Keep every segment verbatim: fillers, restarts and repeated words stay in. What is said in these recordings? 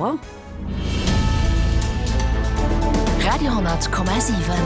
Radiohonnertkommasiwen.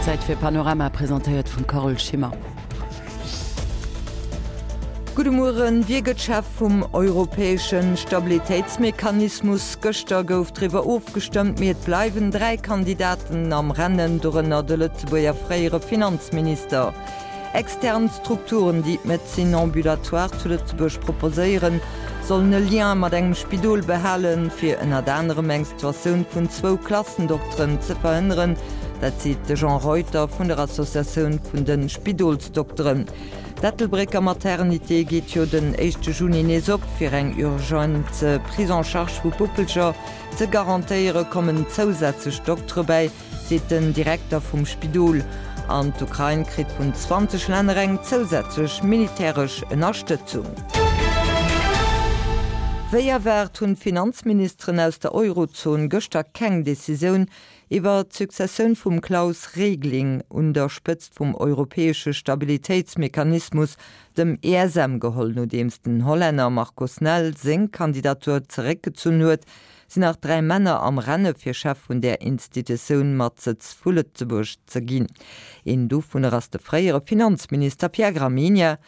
Zäit fir Panorama, presentéiert vum Carole Schimmer. Gudde Mueren. Wie gëtt Chef vum europäesche Stabilitéitsmechanismus? Gëschter gouf driwwer ofgestëmmt, mee et bleiwen dräi Kandidaten am Rennen, dorënner de Lëtzebuerger fréiere Finanzminister. Extern Strukturen, déi d'Médecine ambulatoire zu Lëtzebuerg proposéieren, sollen e Lien mat engem Spidol behalen, fir ënnert anerem eng Situatioun vun zwou Klassendokteren ze verhënneren. Dat seet de Jean Reuter vun der Associatioun vun de Spidolsdokteren. D'Ettelbrécker Maternité geet jo den éischte Juni nees op. Fir eng urgent Prise en charge vu Puppelcher ze garantéiere kommen zousätzlech Doktere bäi, seet den Direkter vum Spidol. An d'Ukrain kritt vun zwanzeg Länner eng zousätzlech militäresch Ënnerstëtzung. Wéi erwaart hunn d'Finanzministeren aus der Eurozon gëschter keng Decisioun iwwer d'Successioun vum Klaus Regling un der Spëtzt vum europäesche Stabilitéitsmechanismus, dem E S M, geholl. Nodeems den Hollänner Marco Snel seng Kandidatur zeréckgezunn huet, sinn nach dräi Männer am Renne fir Chef vun där Institutioun mat Sëtz vu Lëtzebuerg ze ginn. Een dovunner ass de fréiere Finanzminister Pierre Gramegna.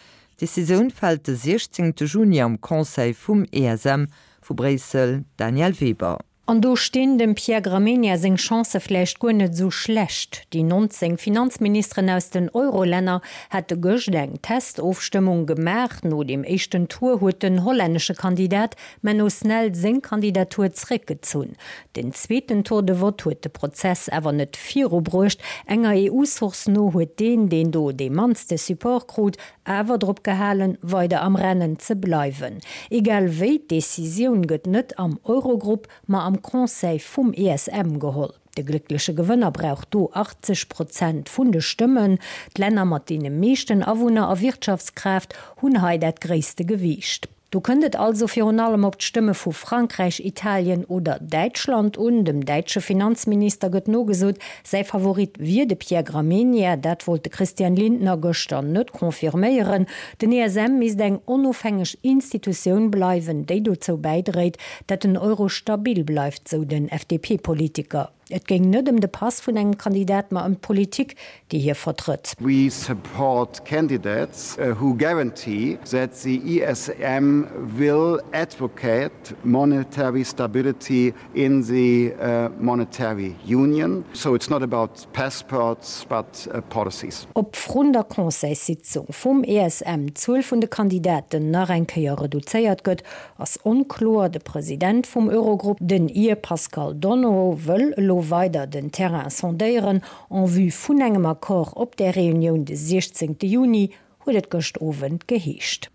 D'Decisioun fält de siechzéngte Juni am Conseil vum E S M. Vu Bréissel Danièle Weber. An do stinn dem Pierre Gramegna seng Chancë vläicht guer net esou schlecht. Déi nonzéng Finanzministeren aus den Eurolänner hate gëscht eng Testofstëmmung gemaach. No dem éischten Tour huet den hollännesche Kandidat Menno Snel seng Kandidatur zréckgezunn. Den zweeten Tour de vote huet de Prozess awer net virubruecht. Enger E U-Source no huet deen, deen do dee mannste Support krut, awer drop gehalen, weider am Rennen ze bleiwen. Egal wéi, d'Decisioun gëtt net am Eurogrupp, ma am Conseil vum E S M geholl. De gléckleche Gewënner brauch do achtzeg Prozent vun de Stëmmen. D'Länner mat deene meeschten Awunner a Wirtschaftskraaft hunn hei dat gréisste Gewiicht. Do kënnt et also virun allem op d'Stëmme vu Frankräich, Italien oder Däitschland un. Dem däitsche Finanzminister gëtt nogesot, säi Favorit wier de Pierre Gramegna. Dat wollt de Christian Lindner gëschter net confirméieren. Den E S M misst eng onofhängeg Institutioun bleiwen, déi dozou bäidréit, datt den Euro stabil bleift, sou den F D P-Politiker. Et géing net ëm de Pass vun engem Kandidat, ma ëm d'Politik, déi hie vertrëtt. We support candidates who guarantee that the E S M will advocate monetary stability in the monetary union. So it's not about passports, but policies. Ob vrun der Conseilssitzung vum E S M d'Zuel vun de Kandidaten nach eng Kéier reduzéiert gëtt, ass onkloer. De President vum Eurogrupp, den Ir Paschal Donohoe, wëll elo weider den Terrain sondéieren en vue vun engem Accord op der Reunioun de siechzéngte Juni, huet et gëscht Owend geheescht.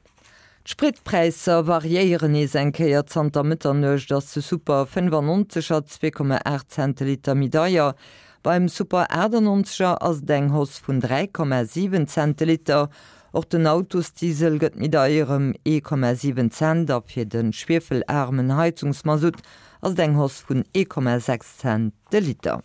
D'Spritpräisser variéieren nees eng Kéier. Zanter Mëtternuecht ass de Super fënnefannonzeger zwee Komma aacht Cent de Liter méi deier. Beim Super achtannonzeger ass et eng Hausse vun dräi Komma siwen Cent de Liter. Och den Autosdiesel gëtt méi deier ëm ee Komma siwen Cent a fir de schwiefelaarmen Heizungsmasutt ass et eng Hausse vun ee Komma sechs Cent de Liter.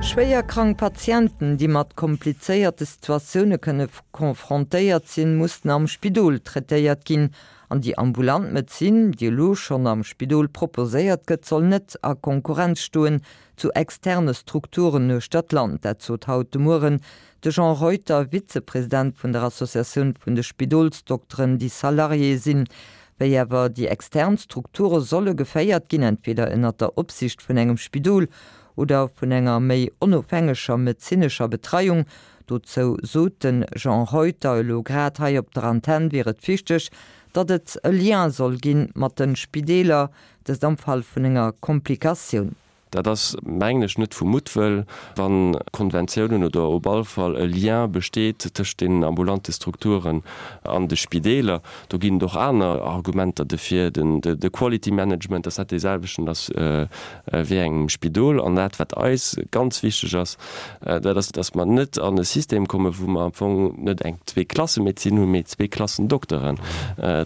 Schwéier krank Patienten, déi mat komplizéierte Situatioune kënne confrontéiert sinn, mussen am Spidol traitéiert ginn. An déi ambulant Medezin, déi elo schonn am Spidol proposéiert gëtt, soll net a Konkurrenz stoen zu externe Strukturen uechter d'Land. Dat sot haut de Mueren de Jean Reuter, Vizepresident vun der Associatioun vun de Spidolsdokteren, déi Salarié sinn. Wéi awer déi extern Strukture solle geféiert ginn, entweder ënnert der Opsiicht vun engem Spidol oder vun enger méi onofhängeger medezinescher Betreiung, dozou sot de Jean Reuter elo grad hei op der Antenn, wier et wichteg, datt et e Lien soll ginn mat de Spideeler, dëst am Fall vun enger Komplikatioun. Dat ass, mengen ech, net vu Muttwëll, wa Konventiounen oder op all Fall e Lien besteet tëscht deenen ambulante Strukturen an de Spideeler. Do ginn et och aner Argumenter dofir, den de Quality Management, dass dat dee selwechten ass wéi engem Spidol. An dat, wat eis ganz wichteg ass, dat ass, dass mer net an e System kommen, wou mer am Fong net eng Zweeklassemedezin hunn, mee Zweeklassen-Dokteren.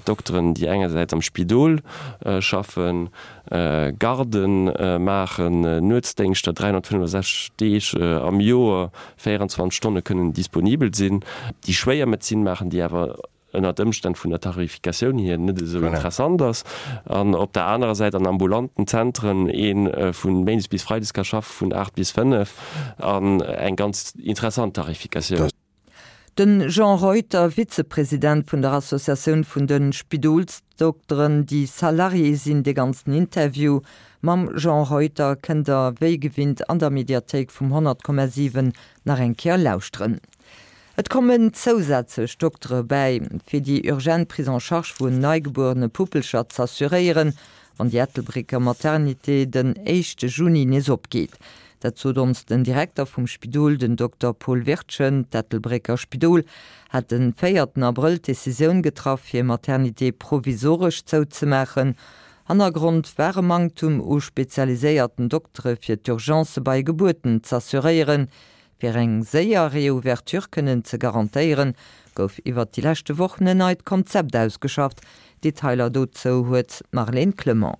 Dokteren, déi engersäits am Spidol schaffen, Garden maachen, Nuetsdéngschter dräihonnertfënnefosechzeg Deeg am Joer, véierundzwanzeg Stonne kënnen disponibel sinn, déi schwéier Medezin maachen, déi awer ënnert Ëmstänn vun der Tarifikatioun hier net esou interessant ass, an op der anerer Säit an ambulanten Zentren ee vu méindes bis freides ka schaffe vun aacht bis fënnef an eng ganz interessant Tarifikatioun. De Jean Reuter, Vizepresident vun der Associatioun vun de Spidolsdokteren, déi Salarié sinn. De ganzen Interview mam Jean Reuter kënnt der wéi gewinnt an der Mediathéik vum honnert Komma siwen nach eng Kéier lauschteren. Et kommen zousätzlech Doktere bäi, fir déi urgent Prise en charge vun neigebuerene Puppelcher z'assuréieren, wann déi Ettelbrécker Maternité den éischte Juni nees opgeet. Dat sot ons den Direkter vum Spidol, den Dokter Paul Wirtgen. D'Ettelbrécker Spidol hat den véierten Abrëll d'Decisioun getraff, fir Maternité provisoresch zouzemaachen. Hannergrond war e Manktum u spezialiséierten Doktere fir d'Urgencë bei Gebuerten z'assuréieren. Fir eng séier Reouverture kënnen ze garantéieren, gouf iwwert déi leschte Wochen en neit Konzept ausgeschafft. Detailer dozou huet d'Marlène Clement.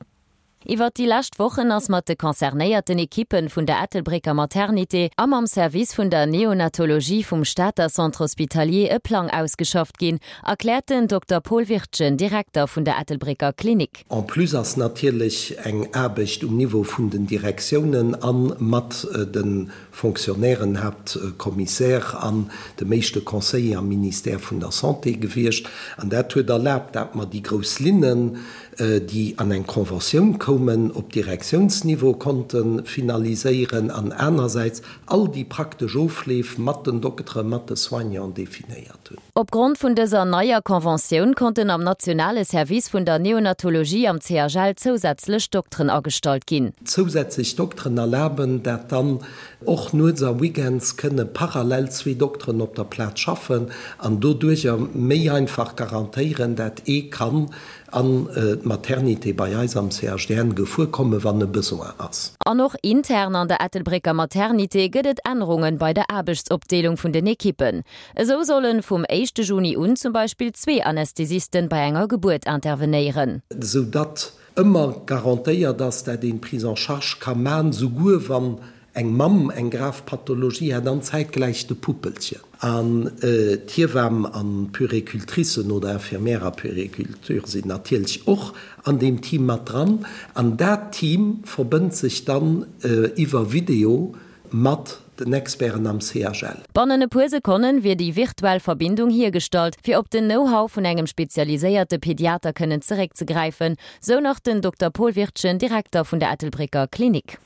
Iwwert déi lescht Wochen ass mat de concernéierten Ekippen vun der Ettelbrécker Maternité a mam Service vun der Neonatologie vum Stater Centre Hospitalier e Plang ausgeschafft ginn, erkläert den Dokter Paul Wirtgen, Direkter vun der Ettelbrécker Klinik. En plus ass natierlech eng Aarbecht um Niveau vun den Direktiounen a mat de Fonctionnairen, Haaptcommissaire an dem éischte Conseiller am Ministère vun der Santé gewiescht. An dat huet erlaabt, dat mer déi grouss Linnen, déi an eng Conventioun koumen, op Direktiounsniveau konnte finaliséieren an anersäits all déi praktesch Ofleef mat den Dokteren, mat de Soignanten definéiert hunn. Opgrond vun dëser neier Conventioun konnten am nationale Service vun der Neonatologie am C H L zousätzlech Dokteren agestallt ginn. Zousätzlech Dokteren erlaben, dat dann och nuets a weekends kënne parallel zwee Dokteren op der Plaz schaffen an doduercher méi einfach garantéieren, dat ee kann an d'Maternité bei eis am C H D N gefuer kommen, wann e Besoin ass. An och intern an der Ettelbrécker Maternité gëtt et Ännerungen bei der Aarbechtsopdeelung vun den Ekippen. Esou sollen vum éischte Juni un zum Beispill zwee Anästhesisten bei enger Gebuert intervenéieren. Esou datt ëmmer garantéiert ass, dat een d'Prise en charge ka man, souguer wann eng Mamm eng grav Pathologie hat an zäitgläich de Puppelchen. An d'Hiewamm an d'Puéricultricen oder Infirmière a Puériculture sinn natierlech och an deem Team mat dran. An dat Team verbënnt sech dann iwwer Video mat den Experten am C H L. Bannen e puer Sekonnen wier déi virtuell Verbindung hiergestallt, fir op den Know-how vun engem spezialiséierte Pediater kënnen zeréckzegräifen, sou nach den Dokter Paul Wirtgen, Direkter vun der Ettelbrécker Klinik.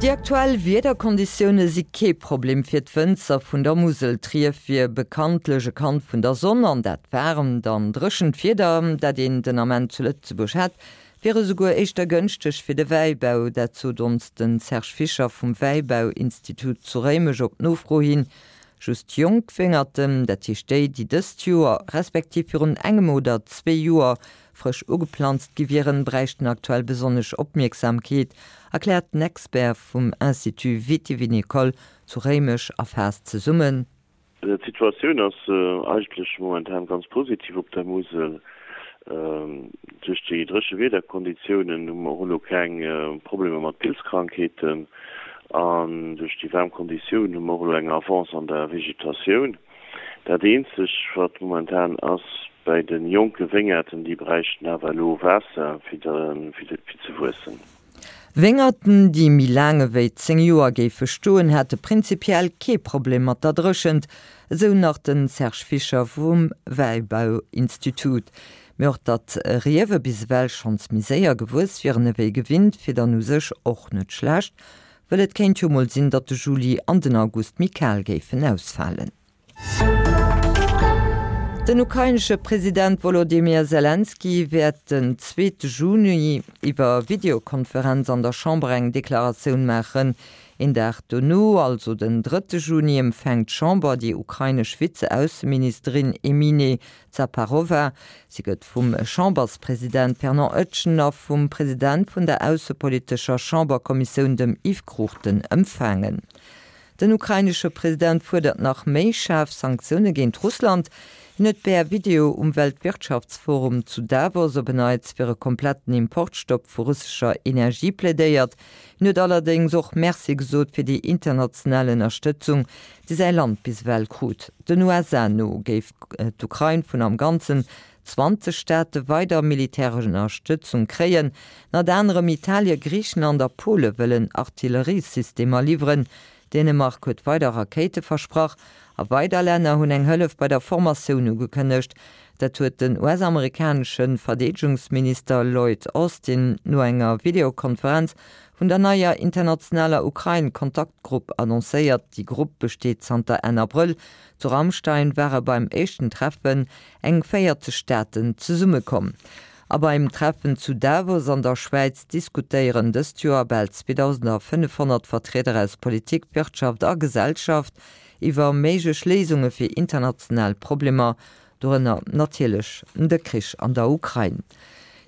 Déi aktuell Wiederkonditioune si kee Problem fir d'Wënzer vun der Musel. D'Rief wier bekanntlech e Kand vun der Sonn an dat waarmt an dréchent Wieder, dat een den Ament zu Lëtzebuerg hätt, wier esouguer éischter gënschteg fir de Wäibau. Dat sot ons de Serge Fischer vum Wäibauinstitut zu Réimech op Nofro hin. Just jonk Wéngerten, dat heescht déi, déi dëst Joer respektiv virun engem oder zwee Joer frësch ugeplanzt gi wieren, bräichten aktuell besonnesch Opmierksamkeet, erkläert den Expert vum Institut Vitivinicole zu Réimech a faasst zesummen. D'Situatioun ass eigentlech momentan ganz positiv op der Musel. Duerch déi dréche Wiederkonditiounen hu mer och elo keng Problemer mat Pilzkrankheeten an duerch déi waarm Konditiounen hu mer och elo eng Avance an der Vegetatioun. Dat eenzeg, wat momentan ass, bei de jonke Wéngerten, déi bräichten awer elo Waasser fir ze wuessen. Wéngerten, déi méi laang ewéi zéng Joer géife stoen, hätte prinzipiell kee Problem mat der Dréchent, esou nach de Serge Fischer vum Wäibauinstitut. Mee och datt Riewe bis ewell schonns méi séier gewuess wieren ewéi gewinnt, wier dann u sech och net schlecht, wëll et kéint jo mol sinn, datt de Juli an den August méi kal géifen ausfalen. Den ukrainesche President Volodymyr Zelensky wäert den zweete Juni iwwer Videokonferenz an der Chamber eng Deklaratioun maachen. Een Dag dono, also den drëtte Juni, empfänkt d'Chamber déi ukrainesch Vize-Ausseministerin Emine Zaparova. Si gëtt vum Chamberspresident Fernand Oetjen a vum President vun der aussepolitescher Chamberkommissioun, dem Yves Cruchten, empfaangen. Den ukrainesche President fuerdert nach méi schaarf Sanktioune géint Russland. Hien huet per Video um Weltwirtschaftsforum zu Davos op en Neits fir e kompletten Importstopp vu russescher Energie plädéiert. Hien huet allerdéngs och Merci gesot fir déi international Ënnerstëtzung, déi säi Land bis ewell krut. Den USA no géif d'Ukrain vun am Ganzen zwanzeg Staate weider militäresch Ënnerstëtzung kréien. Ënnert anerem Italien, Griichenland a Pole wëllen Artilleriesystemer liwweren. Dänemark huet weider Rakéite versprach a weider Länner hunn eng Hëllef bei der Formatioun ugekënnegt. Dat huet den U S-amerikanesche Verdeedegungsminister Lloyd Austin no enger Videokonferenz vun der neier internationaler Ukrain-Kontaktgrupp annoncéiert. Déi Grupp besteet zanter Enn Abrëll. Zu Ramstein ware beim éischten Treffen eng véierzeg Staaten zesummekomm. A beim Treffen zu Davos an der Schwäiz diskutéieren dëst Joer bal zweedausendfënnefhonnert Vertrieder aus Politik, Wirtschaft a Gesellschaft iwwer méiglech Léisunge fir international Problemer, dorënner natierlech de Krich an der Ukrain.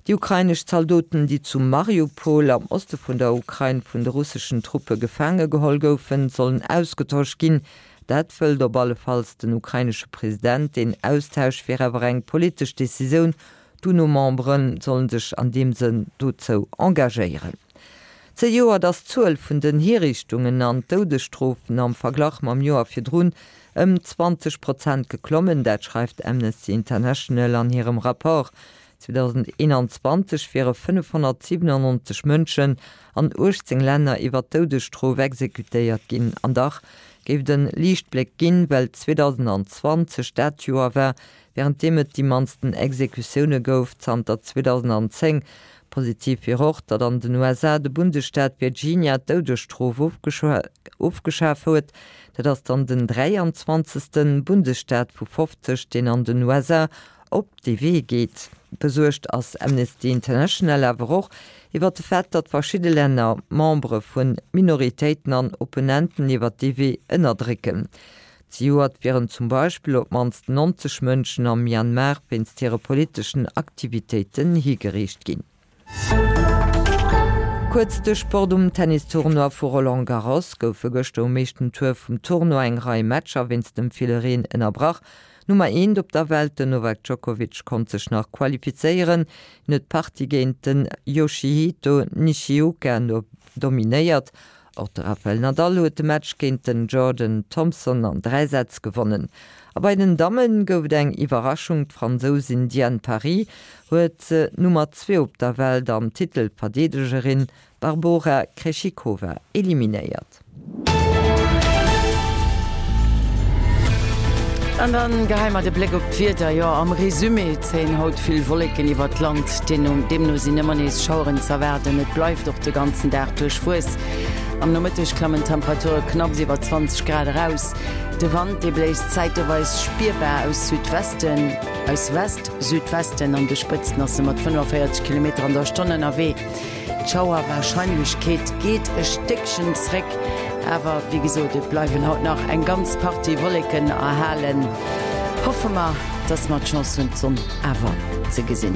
Déi ukrainesch Zaldoten, déi zu Mariupol am Oste vun der Ukrain vun de russeschen Truppe gefaange geholl goufen, sollen ausgetosch ginn. Dat wëllt op allefalls den ukrainesche President. Deen Austausch wier awer eng politesch Decisioun. D'UNO-Membere sollen sech an deem Sënn dozou engagéieren. Zejoert ass d'Zuel vun den Hiriichtungen an Doudesstrofen am Verglach mam Joer virdrun ëm zwanzeg Prozent geklommen. Dat schreift Amnesty International an hirem Rapport. zweedausendeenanzwanzeg wiere fënnefhonnertsiwenannonzeg Mënschen an uechtzéng Länner iwwer d'Doudesstrof exekutéiert ginn. An dach géif et e Liichtbléck ginn, well zweedausendzwanzeg dat Joer war, wärend deem et déi mannsten Exekutioune gouf zanter zweedausendzéng. Positiv wier och, datt an den U S A de Bundesstaat Virginia d'Doudesstrof ofgeschaf huet. Dat ass dann den dräianzwanzegste Bundesstaat vu fofzeg, deen an den U S A op dee Wee geet. Besuergt ass Amnesty International awer och iwwer de Fait, datt verschidde Länner Membere vu Minoritéiten an Opponenten iwwer dee Wee ënnerdrécken. Zejoert wieren zum Beispill op d'mannst neunzeg Mënschen am Myanmar wéinst hire politeschen Aktivitéiten higeriicht ginn. Kuerz de Sport, Um Tennistournoi vu Roland Garros goufe gëschter um éischten Tour vum Tournoi eng Rei Matcher wéinst dem ville Reen ënnerbrach. D'Nummer eent op der Welt, den Novak Djokovic, konnt sech nach qualifizéieren. Hien huet d'Partie géint den Yoshihito Nishioka dominéiert. Och de Rafael Nadal huet de Match géint den Jordan Thompson an dräi Sätz gewonnen. A bei den Damme gouf et eng Iwwerraschung, D'Fransousin Diane Paris huet d'Nummer zwee op der Welt an Titelverdeedegerin Barbora Krejcikova eliminéiert. An dann geheie mer de Bléck op d'Wieder. Jo, am Resumé zéien haut vill Wolleken iwwert d'Land, deemno sinn ëmmer nees Schaueren z'erwaarden. Et bleift och de ganzen Dag duerchwuess. Am Nomëtteg klammen d'Temperature knapps iwwer zwanzeg Grad eraus. De Wand, dee bléist zäiteweis spierbar aus Südwesten, aus West-Südwesten, an de Spëtzten ass e mat fënnefenvéierzeg Kilometer an der Stonn ënnerwee. D'Schauerwarscheinlechkeet geet e Stéckchen zréck, awer wéi gesot, et bleiwen haut nach eng ganz Partie Wolleken erhalen. Hoffe mer, dass mer d'Chance hunn, d'Sonn awer ze gesinn.